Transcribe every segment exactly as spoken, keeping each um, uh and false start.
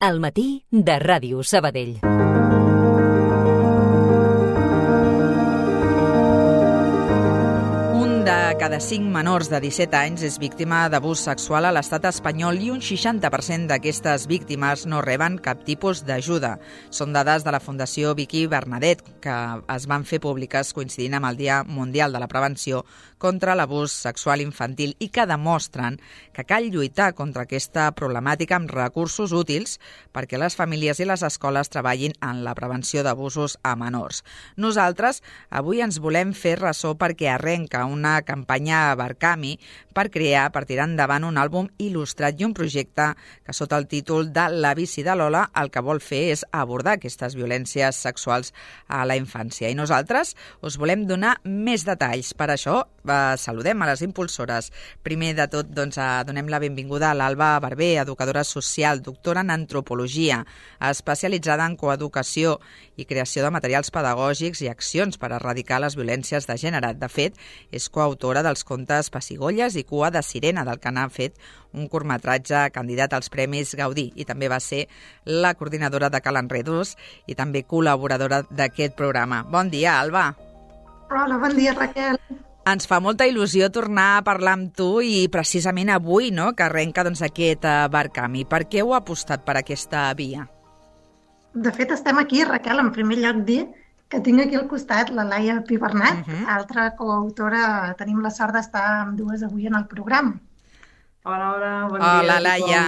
Al matí de Ràdio Sabadell. Un de cada cinc menors de disset anys és víctima d'abús sexual a l'estat espanyol i un seixanta per cent d'aquestes víctimes no reben cap tipus d'ajuda. Són dades de la Fundació Vicky Bernadet, que es van fer públiques coincidint amb el Dia Mundial de la Prevenció contra l'Abús Sexual Infantil i que demostren que cal lluitar contra aquesta problemàtica amb recursos útils perquè les famílies i les escoles treballin en la prevenció d'abusos a menors. Nosaltres avui ens volem fer ressò perquè arrenca una campanya a Barcami per crear, per tirar endavant un àlbum il·lustrat i un projecte que sota el títol de La bici de Lola el que vol fer és abordar aquestes violències sexuals a la infància. I nosaltres us volem donar més detalls. Per això eh, saludem a les impulsores. Primer de tot, doncs, eh, donem la benvinguda a l'Alba Barber, educadora social, doctora en antropologia, especialitzada en coeducació i creació de materials pedagògics i accions per erradicar les violències de gènere. De fet, és coautora dels contes Pessigolles i Cua de Sirena, del que n'ha fet un curtmetratge candidat als Premis Gaudí, i també va ser la coordinadora de Cal Enredos i també col·laboradora d'aquest programa. Bon dia, Alba. Hola, bon dia, Raquel. Ens fa molta il·lusió tornar a parlar amb tu i precisament avui, no?, que arrenca doncs, aquest Barcami. Per què heu apostat per aquesta via? De fet, estem aquí, Raquel, en primer lloc dir que tinc aquí al costat la Laia Pibernat, uh-huh. altra coautora. Tenim la sort d'estar amb dues avui en el programa. Hola, hola, bon hola, dia. Hola, Laia.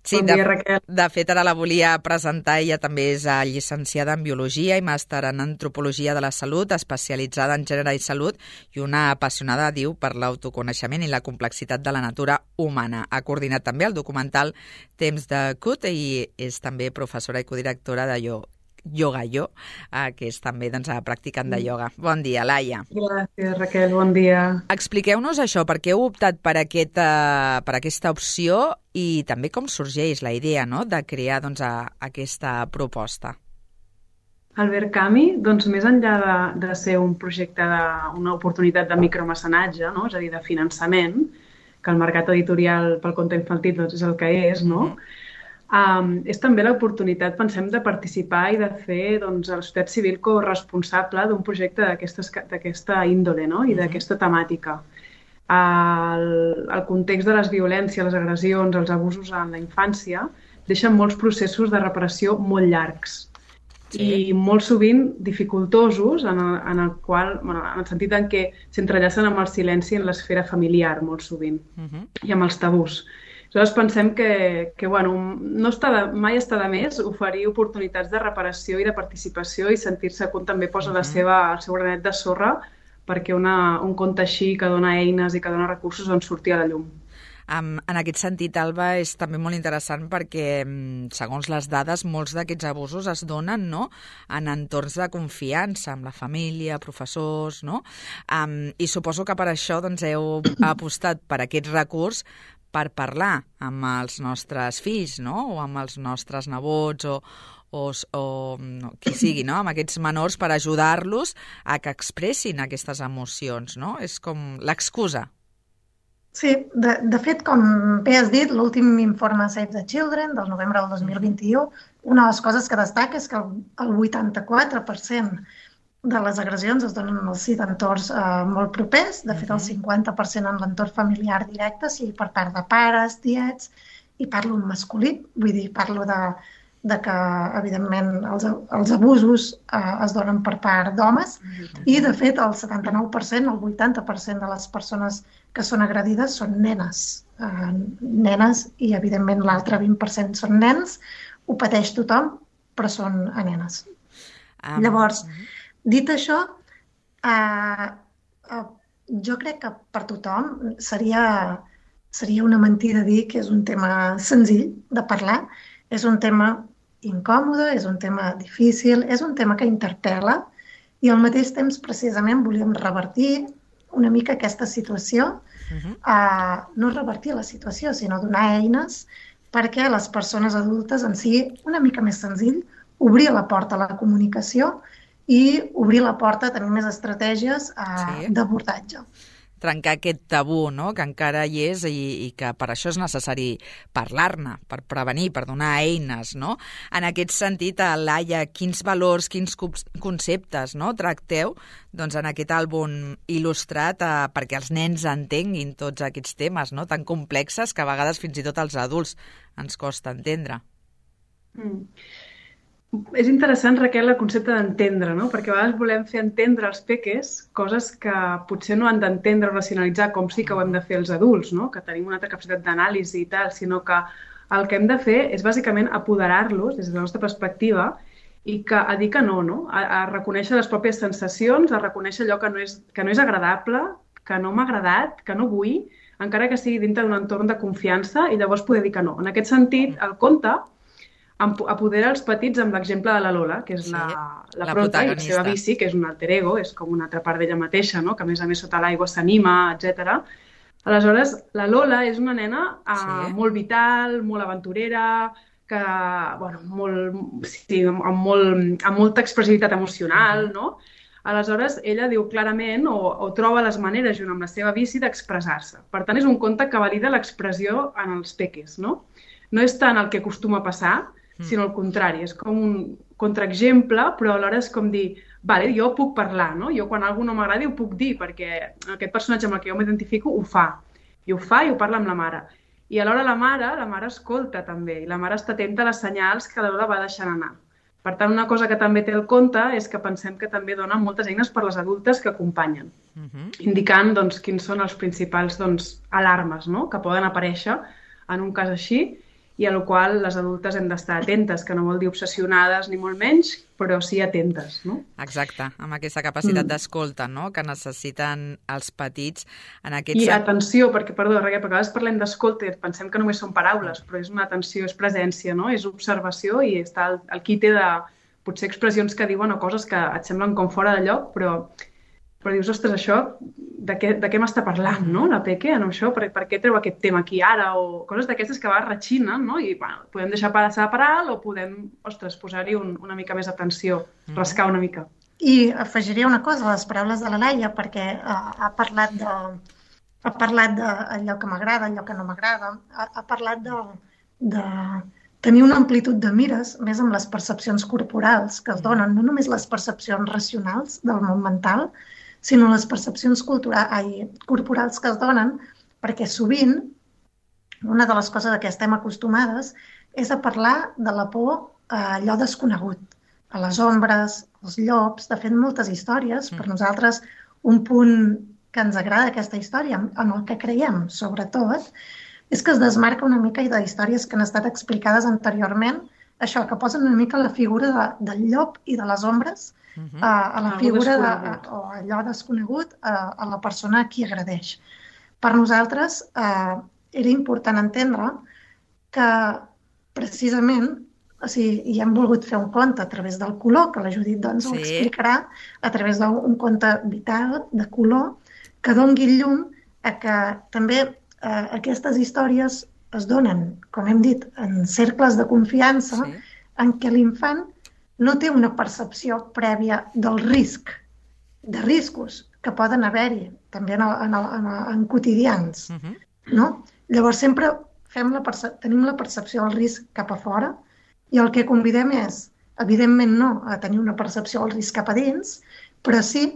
Sí, bon de, dia, Raquel. De fet, ara la volia presentar. Ella també és llicenciada en Biologia i màster en Antropologia de la Salut, especialitzada en gènere i salut i una apassionada, diu, per l'autoconeixement i la complexitat de la natura humana. Ha coordinat també el documental Temps de Cut i és també professora i codirectora de Yo. Yoga Jo, eh, que és també doncs, practicant de ioga. Bon dia, Laia. Gràcies, Raquel, bon dia. Expliqueu-nos això, per què heu optat per, aquest, uh, per aquesta opció i també com sorgeix la idea, no?, de crear doncs, a, aquesta proposta. El Barcami, doncs, més enllà de, de ser un projecte, de, una oportunitat de micromecenatge, no?, és a dir, de finançament, que el mercat editorial pel conte infantil doncs, és el que és, no?, mm-hmm. Um, és també l'oportunitat, pensem, de participar i de fer doncs, a la societat civil corresponsable d'un projecte d'aquesta índole, no?, i d'aquesta temàtica. El, el context de les violències, les agressions, els abusos en la infància deixen molts processos de reparació molt llargs sí. i molt sovint dificultosos en el, en el qual, bueno, en el sentit en què s'entrellacen amb el silenci en l'esfera familiar molt sovint uh-huh. i amb els tabús. Nosaltres pensem que, que bueno, no està de, mai està de més oferir oportunitats de reparació i de participació i sentir-se que també posa la seva, el seu granet de sorra perquè una, un conte així que dona eines i que dona recursos on surti a la llum. Um, en aquest sentit, Alba, és també molt interessant perquè, segons les dades, molts d'aquests abusos es donen, no?, en entorns de confiança, amb la família, professors, no? Um, I suposo que per això doncs, heu apostat per aquest recurs per parlar amb els nostres fills, no?, o amb els nostres nebots o, o, o no, qui sigui, no?, amb aquests menors per ajudar-los a que expressin aquestes emocions, no? És com l'excusa. Sí, de, de fet, com bé has dit, l'últim informe Save the Children del novembre del dos mil vint-i-u, una de les coses que destaca és que el, el vuitanta-quatre per cent de les agressions es donen en els entorns eh, molt propers, de fet el cinquanta per cent en l'entorn familiar directe, sigui per part de pares, tiets, i parlo en masculí, vull dir, parlo de, de que, evidentment, els, els abusos eh, es donen per part d'homes, i, de fet, el setanta-nou per cent, el vuitanta per cent de les persones que són agredides són nenes, eh, nenes, i, evidentment, l'altre vint per cent són nens, ho pateix tothom, però són a nenes. Um, Llavors, dit això, eh, eh, jo crec que per tothom seria, seria una mentida dir que és un tema senzill de parlar, és un tema incòmode, és un tema difícil, és un tema que interpel·la i al mateix temps precisament volíem revertir una mica aquesta situació, uh-huh. eh, no revertir la situació, sinó donar eines perquè a les persones adultes en sigui una mica més senzill obrir la porta a la comunicació i obrir la porta a tenir més estratègies eh, sí. d'abordatge. trencar aquest tabú, no?, que encara hi és i, i que per això és necessari parlar-ne, per prevenir, per donar eines, no? En aquest sentit, Laia, quins valors, quins conceptes, no?, tracteu doncs, en aquest àlbum il·lustrat eh, perquè els nens entenguin tots aquests temes, no?, tan complexes que a vegades fins i tot als adults ens costa entendre. Mm. És interessant, Raquel, el concepte d'entendre, no? Perquè a vegades volem fer entendre als peques coses que potser no han d'entendre o racionalitzar, com sí que ho hem de fer els adults, no? Que tenim una altra capacitat d'anàlisi i tal, sinó que el que hem de fer és bàsicament apoderar-los des de la nostra perspectiva i que, a dir que no, no? A, a reconèixer les pròpies sensacions, a reconèixer allò que no és, que no és agradable, que no m'ha agradat, que no vull, encara que sigui dintre d'un entorn de confiança i llavors poder dir que no. En aquest sentit, el conte apodera els petits amb l'exemple de la Lola, que és sí, la, la, la prota i la seva bici, que és un alter ego, és com una altra part d'ella mateixa, no? Que a més a més sota l'aigua s'anima, etcètera. Aleshores, la Lola és una nena uh, sí. molt vital, molt aventurera, que, bueno, molt, sí, amb, molt, amb molta expressivitat emocional, uh-huh. no? Aleshores, ella diu clarament o, o troba les maneres, junt amb la seva bici, d'expressar-se. Per tant, és un conte que valida l'expressió en els peques, no? No és tant el que acostuma a passar, sinó al contrari, és com un contraexemple, però alhora és com dir, vale, jo puc parlar, no? Jo quan algú no m'agradi ho puc dir, perquè aquest personatge amb el que jo m'identifico ho fa, i ho fa i ho parla amb la mare. I alhora la mare, la mare escolta també, i la mare està atenta a les senyals que la Lola va deixant anar. Per tant, una cosa que també té el conte és que pensem que també dona moltes eines per les adultes que acompanyen, uh-huh. indicant doncs, quins són els principals doncs, alarmes, no?, que poden aparèixer en un cas així, i a la qual les adultes hem d'estar atentes, que no vol dir obsessionades ni molt menys, però sí atentes, no? Exacte, amb aquesta capacitat mm. d'escolta, no?, que necessiten els petits en aquest... I atenció, perquè, perdó, Raquel, perquè a vegades parlem d'escolta i pensem que només són paraules, però és una atenció, és presència, no?, és observació i està el, el quite de potser expressions que diuen o coses que et semblen com fora de lloc, però, però dius, ostres, això, de què, de què m'està parlant, no?, la Peque, en això, per, per què treu aquest tema aquí ara, o coses d'aquestes que va rechinen, no?, i bueno, podem deixar passar per alt o podem, ostres, posar-hi un, una mica més atenció, rascar una mica. I afegiria una cosa a les paraules de la Laia, perquè ha, ha parlat de, ha parlat d'allò que m'agrada, allò que no m'agrada, ha, ha parlat de, de tenir una amplitud de mires, més amb les percepcions corporals que es donen, no només les percepcions racionals del món mental, sinó les percepcions culturals, ai, corporals que es donen, perquè sovint una de les coses a què estem acostumades és a parlar de la por a allò desconegut, a les ombres, als llops. De fet, moltes històries, per nosaltres, un punt que ens agrada d'aquesta història, en el que creiem, sobretot, és que es desmarca una mica de històries que han estat explicades anteriorment, això, que posen una mica la figura de, del llop i de les ombres, Uh-huh. a, a la figura de, a, o allò desconegut a, a la persona a qui agradeix. Per nosaltres eh, era important entendre que precisament, o sigui, hi hem volgut fer un conte a través del color, que la Judit doncs, sí. ho explicarà, a través d'un conte vital, de color, que doni llum a que també eh, aquestes històries es donen, com hem dit, en cercles de confiança, sí. en què l'infant no té una percepció prèvia del risc, de riscos que poden haver-hi, també en, en, en, en quotidians. Uh-huh. No? Llavors sempre fem la perce- tenim la percepció del risc cap a fora i el que convidem és, evidentment no a tenir una percepció del risc cap a dins, però sí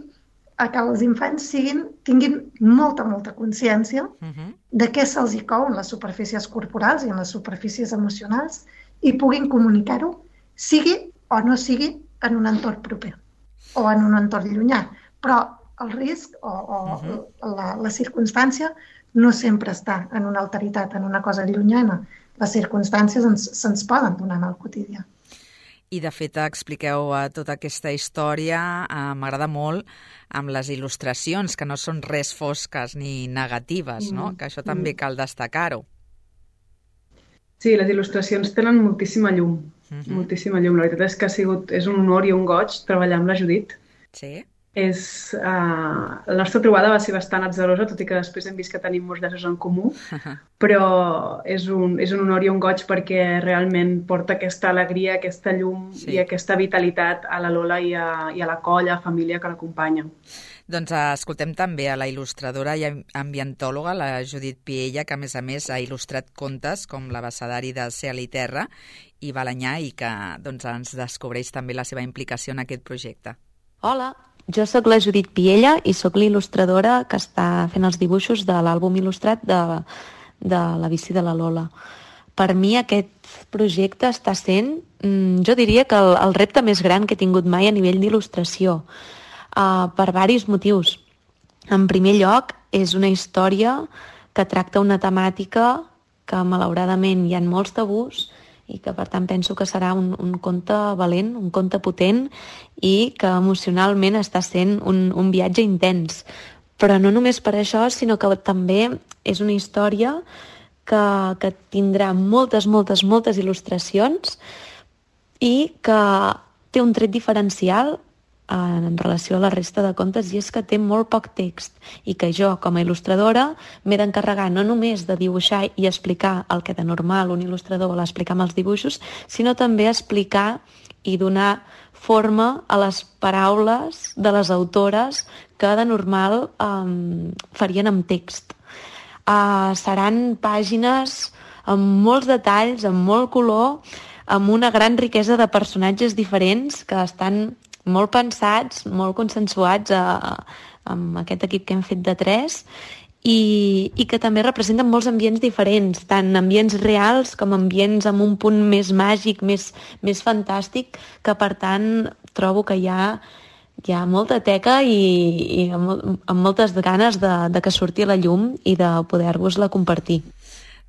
a que els infants siguin, tinguin molta, molta consciència uh-huh. de què se'ls hi cou en les superfícies corporals i en les superfícies emocionals i puguin comunicar-ho, sigui o no sigui en un entorn proper o en un entorn llunyà. Però el risc o, o uh-huh. la, la circumstància no sempre està en una alteritat, en una cosa llunyana. Les circumstàncies ens, se'ns poden donar en el quotidià. I, de fet, expliqueu uh, tota aquesta història, uh, m'agrada molt, amb les il·lustracions, que no són res fosques ni negatives, mm. no? Que això també cal destacar-ho. Sí, les il·lustracions tenen moltíssima llum. Uh-huh. Moltíssima llum. La veritat és que ha sigut, és un honor i un goig treballar amb la Judit. Sí. És, uh, la nostra trobada va ser bastant atzarosa, tot i que després hem vist que tenim molts llaços en comú, però és un, és un honor i un goig perquè realment porta aquesta alegria, aquesta llum sí. i aquesta vitalitat a la Lola i a, i a la colla, a la família que l'acompanya. Doncs escoltem també a la il·lustradora i ambientòloga, la Judit Piella, que a més a més ha il·lustrat contes com l'Abecedari de Cel i Terra i Balanyà i que doncs, ens descobreix també la seva implicació en aquest projecte. Hola, jo sóc la Judit Piella i sóc l'il·lustradora que està fent els dibuixos de l'àlbum il·lustrat de, de la bici de la Lola. Per mi aquest projecte està sent, jo diria que el, el repte més gran que he tingut mai a nivell d'il·lustració, uh, per diversos motius. En primer lloc, és una història que tracta una temàtica que malauradament hi ha molts tabús i que per tant penso que serà un, un conte valent, un conte potent i que emocionalment està sent un, un viatge intens. Però no només per això, sinó que també és una història que, que tindrà moltes, moltes, moltes il·lustracions i que té un tret diferencial en relació a la resta de contes, i és que té molt poc text i que jo, com a il·lustradora, m'he d'encarregar no només de dibuixar i explicar el que de normal un il·lustrador vol explicar amb els dibuixos, sinó també explicar i donar forma a les paraules de les autores que de normal um, farien amb text. Uh, seran pàgines amb molts detalls, amb molt color, amb una gran riquesa de personatges diferents que estan molt pensats, molt consensuats a, amb aquest equip que hem fet de tres i, i que també representen molts ambients diferents, tant ambients reals com ambients amb un punt més màgic, més, més fantàstic, que per tant trobo que hi ha, hi ha molta teca i, i amb, amb moltes ganes de, de que surti a la llum i de poder-vos-la compartir.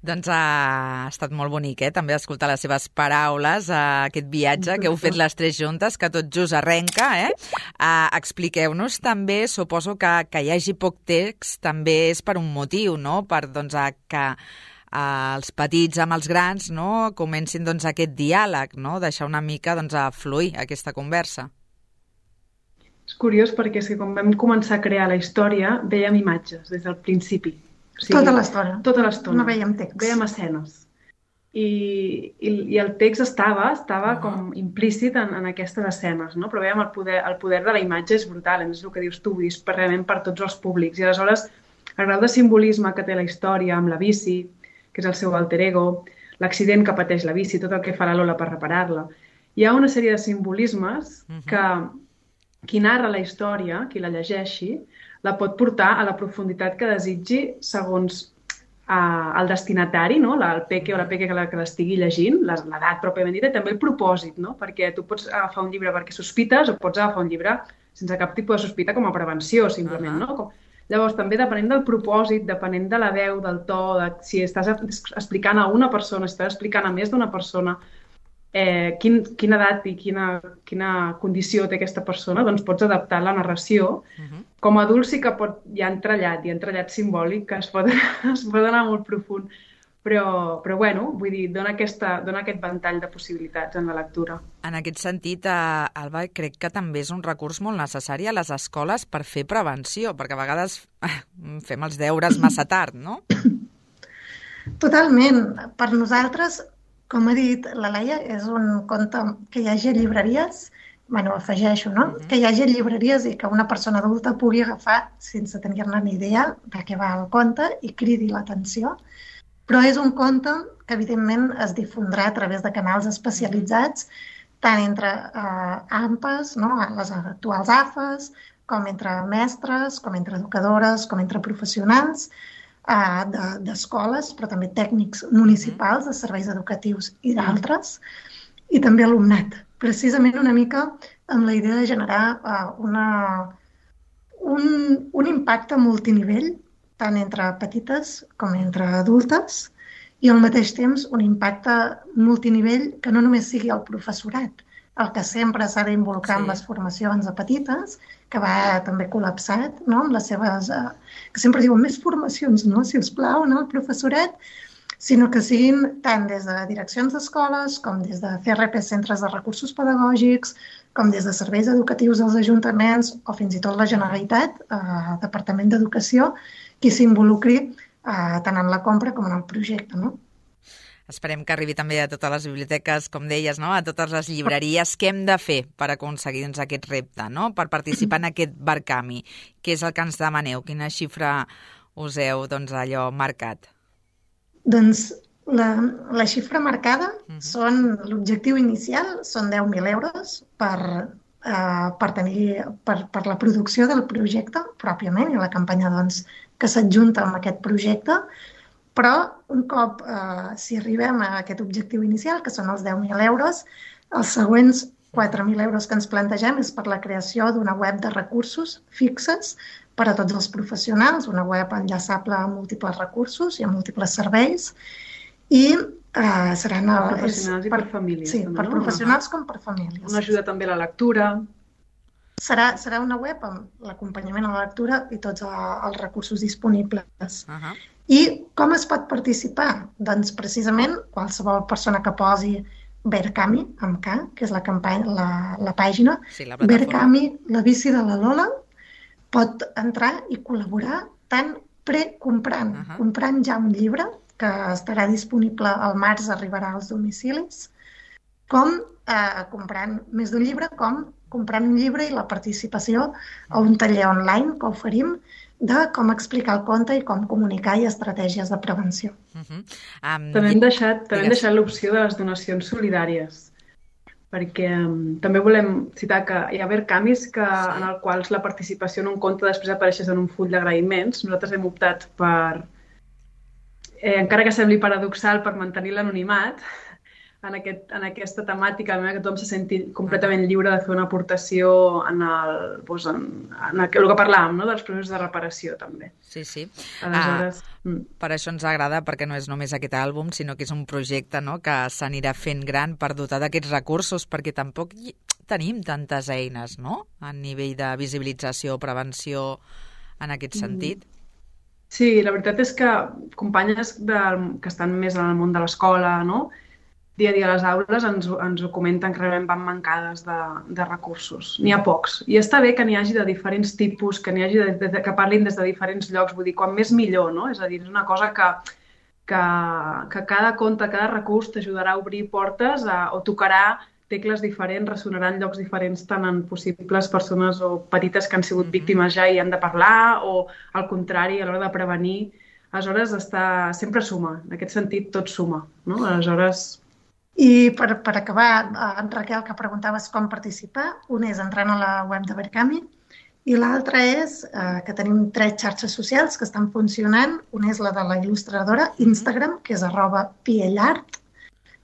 Doncs ha estat molt bonic, eh? També escoltar les seves paraules, eh, aquest viatge que heu fet les tres juntes, que tot just arrenca. Eh? Eh, expliqueu-nos també, suposo que, que hi hagi poc text també és per un motiu, no? Per doncs, que eh, els petits amb els grans no? Comencin doncs, aquest diàleg, no? Deixar una mica doncs, a fluir aquesta conversa. És curiós perquè és que quan vam començar a crear la història vèiem imatges des del principi. O sigui, tota l'estona. Tota l'estona. No veiem text. Veiem escenes. I, i, i el text estava, estava uh-huh. com implícit en, en aquestes escenes, no? Però veiem el poder, el poder de la imatge és brutal, és el que dius tu, és per, realment per tots els públics. I aleshores, el grau de simbolisme que té la història amb la bici, que és el seu alter ego, l'accident que pateix la bici, tot el que fa la Lola per reparar-la. Hi ha una sèrie de simbolismes uh-huh. que qui narra la història, qui la llegeixi, la pot portar a la profunditat que desitgi segons uh, el destinatari, no? la, el peque o la peque que l'estigui llegint, l'edat pròpiament dita, i també el propòsit, no? Perquè tu pots agafar un llibre perquè sospites o pots agafar un llibre sense cap tipus de sospita com a prevenció, simplement. Uh-huh. no? Com... Llavors, també depenent del propòsit, depenent de la veu, del to, de si estàs explicant a una persona, si estàs explicant a més d'una persona, eh, quin, quina edat i quina, quina condició té aquesta persona, doncs pots adaptar la narració. Uh-huh. Com a adult sí que pot, hi ha entrellat, hi ha entrellat simbòlic que es pot, es pot anar molt profund, però, però bueno, vull dir, dona, aquesta, dona aquest ventall de possibilitats en la lectura. En aquest sentit, eh, Alba, crec que també és un recurs molt necessari a les escoles per fer prevenció, perquè a vegades eh, fem els deures massa tard, no? Totalment. Per nosaltres, com ha dit la Laia, és un conte que hi hagi a llibreries, bueno, afegeixo, no? Uh-huh. Que hi hagi llibreries i que una persona adulta pugui agafar sense tenir-ne ni idea de què va el conte i cridi l'atenció. Però és un conte que, evidentment, es difondrà a través de canals especialitzats, tant entre eh, A M P Es, no? Les actuals A F Es, com entre mestres, com entre educadores, com entre professionals eh, de, d'escoles, però també tècnics municipals, de serveis educatius i d'altres, i també alumnat. Precisament una mica amb la idea de generar uh, una, un, un impacte multinivell, tant entre petites com entre adultes, i al mateix temps un impacte multinivell que no només sigui el professorat, el que sempre s'ha d'involucrar sí. en les formacions de petites, que va també col·lapsat, no? Amb les seves, uh, que sempre diuen més formacions, no? Si us plau, no? El professorat, sinó que siguin tant des de direccions d'escoles, com des de C R P, centres de recursos pedagògics, com des de serveis educatius dels ajuntaments o fins i tot la Generalitat, eh, Departament d'Educació, qui s'involucri eh, tant en la compra com en el projecte, no? Esperem que arribi també a totes les biblioteques, com deies, no? A totes les llibreries. Què hem de fer per aconseguir doncs, aquest repte, no? Per participar en aquest Barcami? Què és el que ens demaneu? Quina xifra us heu doncs, allò marcat? Doncs la, la xifra marcada uh-huh. són l'objectiu inicial, són deu mil euros per, eh, per, tenir, per, per la producció del projecte pròpiament i la campanya doncs, que s'adjunta amb aquest projecte. Però un cop, eh, si arribem a aquest objectiu inicial, que són els deu mil euros, els següents quatre mil euros que ens plantegem és per la creació d'una web de recursos fixes per a tots els professionals, una web enllaçable a múltiples recursos i a múltiples serveis, i eh, seran... Per professionals i per famílies. Sí, també, per no? professionals com per famílies. Una ajuda també a la lectura. Serà, serà una web amb l'acompanyament a la lectura i tots els recursos disponibles. Uh-huh. I com es pot participar? Doncs precisament qualsevol persona que posi Berkami, amb K, que és la, campanya, la, la pàgina, sí, la Berkami, la bici de la Lola, pot entrar i col·laborar tant precomprant, uh-huh. comprant ja un llibre que estarà disponible al març, arribarà als domicilis, com eh, comprant més d'un llibre, com comprant un llibre i la participació a un taller online que oferim de com explicar el conte i com comunicar i estratègies de prevenció. Uh-huh. um, també hem deixat, també hem deixat l'opció de les donacions solidàries, perquè um, també volem citar que hi ha Berkamis que, sí. en el quals la participació en un conte després apareixes en un full d'agraïments. Nosaltres hem optat per, eh, encara que sembli paradoxal, per mantenir l'anonimat, en, aquest, en aquesta temàtica, que tothom se senti completament lliure de fer una aportació en el, doncs en, en el, el que parlàvem, no? Dels processos de reparació, també. Sí, sí. Aleshores... Ah, mm. Per això ens agrada, perquè no és només aquest àlbum, sinó que és un projecte, no?, que s'anirà fent gran per dotar d'aquests recursos, perquè tampoc hi tenim tantes eines, no?, a nivell de visibilització, prevenció, en aquest sentit. Sí, la veritat és que companyes del, que estan més en el món de l'escola, no?, dia a dia a les aules ens, ens ho comenten que realment van mancades de, de recursos. N'hi ha pocs. I està bé que n'hi hagi de diferents tipus, que n'hi hagi de, de, que parlin des de diferents llocs. Vull dir, quan més millor, no? És a dir, és una cosa que, que, que cada conte, cada recurs t'ajudarà a obrir portes a, o tocarà tecles diferents, ressonarà en llocs diferents tant en possibles persones o petites que han sigut mm-hmm. víctimes ja i han de parlar, o al contrari, a l'hora de prevenir. Aleshores, està, sempre suma. En aquest sentit, tot suma, no? Aleshores... I per, per acabar, en Raquel, que preguntaves com participar, un és entrant a la web de Berkami i l'altre és eh, que tenim tres xarxes socials que estan funcionant. Una és la de la il·lustradora, Instagram, que és arroba piellart.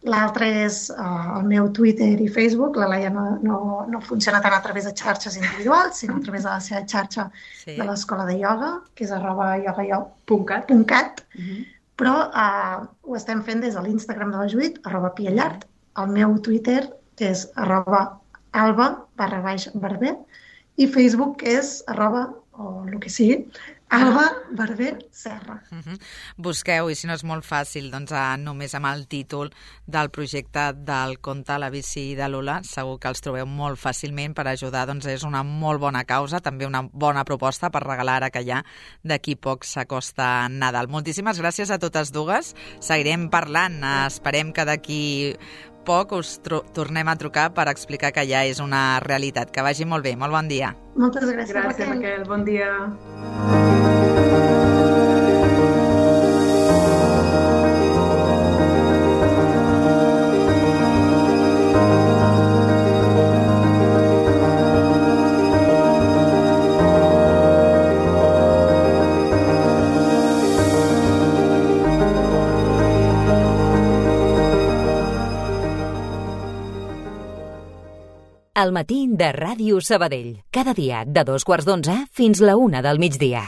L'altre és eh, el meu Twitter i Facebook. La Laia no, no, no funciona tant a través de xarxes individuals, sinó a través de la seva xarxa sí. de l'escola de ioga, que és arroba iogaio punt cat. Uh-huh. Però eh, ho estem fent des de l'Instagram de la Judit, arroba piellart, el meu Twitter, que és arroba alba barra baix barber, i Facebook, que és arroba, o el que sigui, Alba Barber Serra. Uh-huh. Busqueu, i si no és molt fàcil, doncs a, només amb el títol del projecte del conte La bici de Lola, segur que els trobeu molt fàcilment per ajudar, doncs és una molt bona causa, també una bona proposta per regalar ara que ja d'aquí poc s'acosta Nadal. Moltíssimes gràcies a totes dues, seguirem parlant, esperem que d'aquí poc us tornem a trucar per explicar que ja és una realitat. Que vagi molt bé, molt bon dia. Moltes gràcies, gràcies Raquel. Raquel. Bon dia. El matí de Ràdio Sabadell. Cada dia de dos quarts d'onze fins la una del migdia.